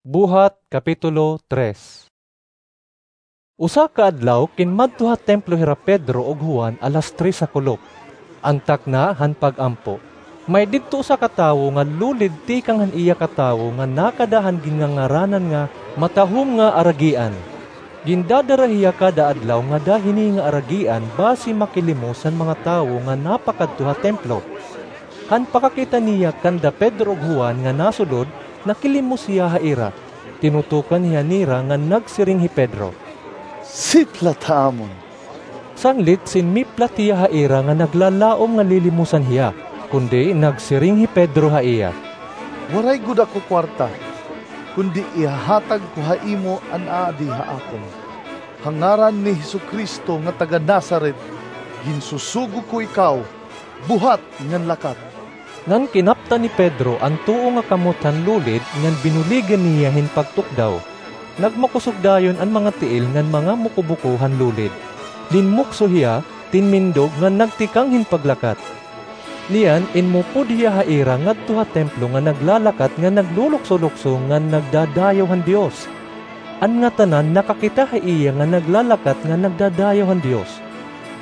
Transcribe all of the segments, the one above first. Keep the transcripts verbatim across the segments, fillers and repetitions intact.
Buhat, Kapitulo tres. Usa ka adlaw, kinmadto ha templo hira Pedro ug Juan alas tres ha kulop, an takna han pag-ampo. May didto usa ka tawo nga lulid tikang han iya katawo nga nakada han ginngangaranan nga Matahom nga Aragian. Gindadara hiya kada adlaw ngada hini nga aragian basi makilimos han mga tawo nga napakadto ha templo. Han pakakita niya kanda Pedro ug Juan nga nasulod, nakilimos hiya ha ira. Tinutukan hiya nira ngan nagsiring hi Pedro, "Siplat ha amon." Sanglit siniplat hiya ha ira nga naglalaom nga lilimosan hiya, kundi nagsiring hi Pedro ha iya, "Waray gud ako kuwarta, kundi ihahatag ko ha imo an aadi ha akon. Ha ngaran ni Jesu-Cristo nga taga-Nazaret, ginsusugo ko ikaw, buhat ngan lakat." Ngan kinaptan ni Pedro an tuo nga kamot han lulid ngan binuligan niya hin pagtukdaw. Nagmakusog dayon an mga tiil ngan mga mukubuko han lulid. Linmukso hiya, tinmindog ngan nagtikang hin paglakat. Niyan, inmupod hiya ha ira ngadto ha templo nga naglalakat ngan naglulukso-lukso ngan nagdadayaw han Dios. An ngatanan nakakita ha iya nga naglalakat ngan nagdadayaw han Dios.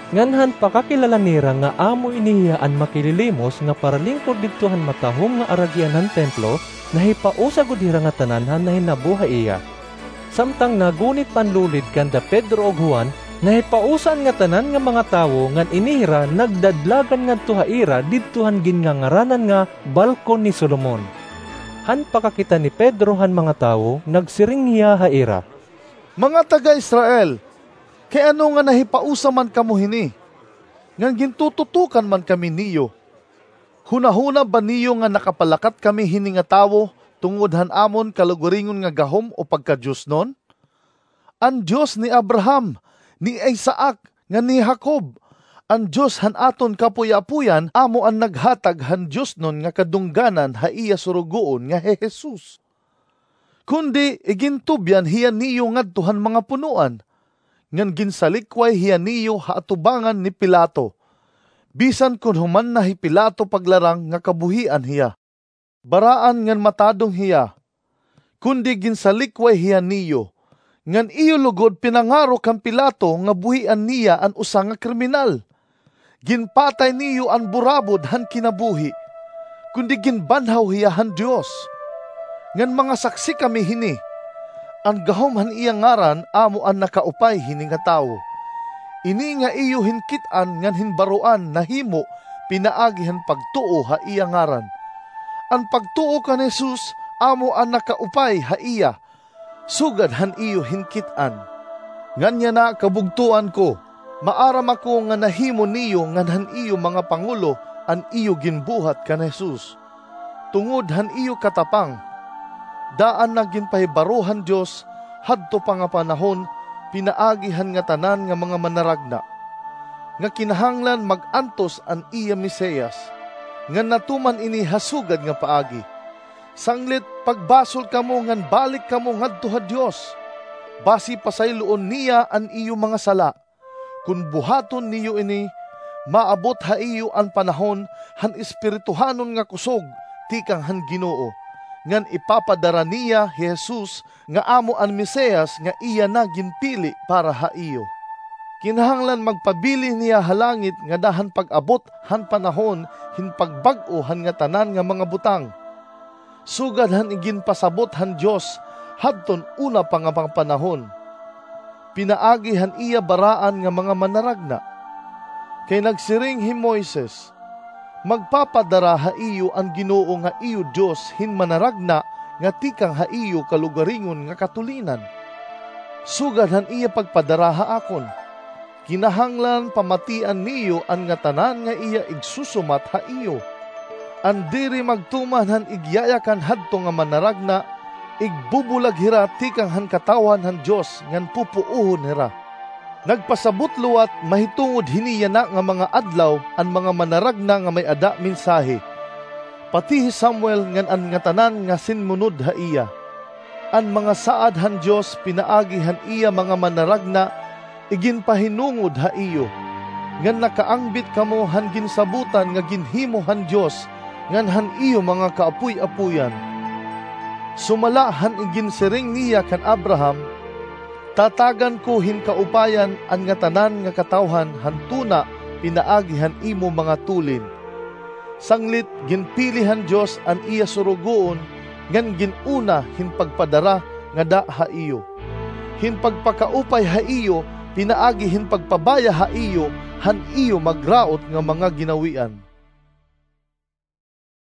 Ngan han pakakilala nira nga amo ini hiya an makililimos nga paralingkod didto han Matahom nga Aragian han templo, nahipausa gud hira ngatanan han nahinabo ha iya. Samtang nagunit pa an lulid kanda Pedro ug Juan, nahipausa an ngatanan nga mga tawo ngan ini hira nagdadlagan ngadto ha ira didto han ginngangaranan nga Balkon ni Solomon. Han pakakita ni Pedro han mga tawo, nagsiring hiya ha ira, "Mga taga-Israel, kay ano nga nahipausa man kamo hini, ngan gintututukan man kami niyo? Hunahuna ba niyo nga nakapalakat kami hini nga tawo tungod han amon kalugaringon nga gahom o pagkadiosnon? An Dios ni Abraham, ni Isaac, ngan ni Jacob, an Dios han aton kapuy-apuyan, amo an naghatag han diosnon nga kadungganan ha iya surugoon nga hi Jesus. Kundi igintubyan hiya niyo ngadto han mga punoan, ngan ginsalikway hiya niyo ha atubangan ni Pilato, bisan kon human na hi Pilato paglarang nga kabuhian hiya. Baraan ngan matadong hiya, kundi ginsalikway hiya niyo, ngan iyo lugod pinangaro kan Pilato nga buhian niya an usa nga kriminal. Ginpatay niyo an burabod han kinabuhi, kundi ginbanhaw hiya han Dios. Ngan mga saksi kami hini, an gahom han iya ngaran amo an nakaupay hini nga tawo. Ini nga iyo hinkit-an ngan hinbaroan nahimo pinaagi han pagtuo ha iya ngaran. An pagtuo kan Jesus amo an nakaupay ha iya, sugad han iyo hinkit-an. Ngan yana, kabugtoan ko, maaram ako nga nahimo niyo ngan han iyo mga pangulo an iyo ginbuhat kan Jesus, tungod han iyo katapang. Daan na ginpahibaro han Dios hadto pa nga panahon pinaagi han ngatanan nga mga manaragna, nga kinahanglan mag-antos an iya Mesiyas, ngan natuman ini ha sugad nga paagi. Sanglit pagbasol kamo ngan balik kamo ngadto ha Dios, basi pasayloon niya an iyo mga sala. Kon buhaton niyo ini, maabot ha iyo an panahon han espirituhanon nga kusog tikang han Ginoo, ngan ipapadara niya hi Jesus nga amo an Mesiyas nga iya na ginpili para ha iyo. Kinahanglan magpabilin hiya ha langit ngada han pag-abot han panahon hin pagbag-o han ngatanan nga mga butang, sugad han iginpasabot han Dios hadton una pa nga mga panahon, pinaagi han iya baraan nga mga manaragna. Kay nagsiring hi Moises, "Magpapadara ha iyo an Ginoo nga iyo Dios hin manaragna nga tikang ha iyo kalugaringon nga katulinan, sugad han iya pagpadara ha akon." Kinahanglan pamatian niyo an ngatanan nga iya igsusumat ha iyo. An diri magtuman han igyayakan hadto nga manaragna, igbubulag hira tikang han katawhan han Dios ngan pupuohon hira. Nagpasabot liwat mahitungod hini yana nga mga adlaw an mga manaragna nga may-ada mensahe, pati hi Samuel ngan an ngatanan nga sinmunod ha iya. An mga saad han Dios pinaagi han iya mga manaragna iginpahinungod ha iyo, ngan nakaangbit kamo han ginsabotan nga ginhimo han Dios ngan han iyo mga kaapoy-apoyan. Sumala han iginsiring niya kan Abraham, tatagan ko hin kaupayan an ngatanan nga katawhan han tuna pinaagi han imo mga tulin. Sanglit ginpili han Dios an iya surugoon ngan gin-una hin pagpadara ngada ha iyo, hin pagpakaupay ha iyo pinaagi hin pagpabaya ha iyo han iyo magraot nga mga ginawian.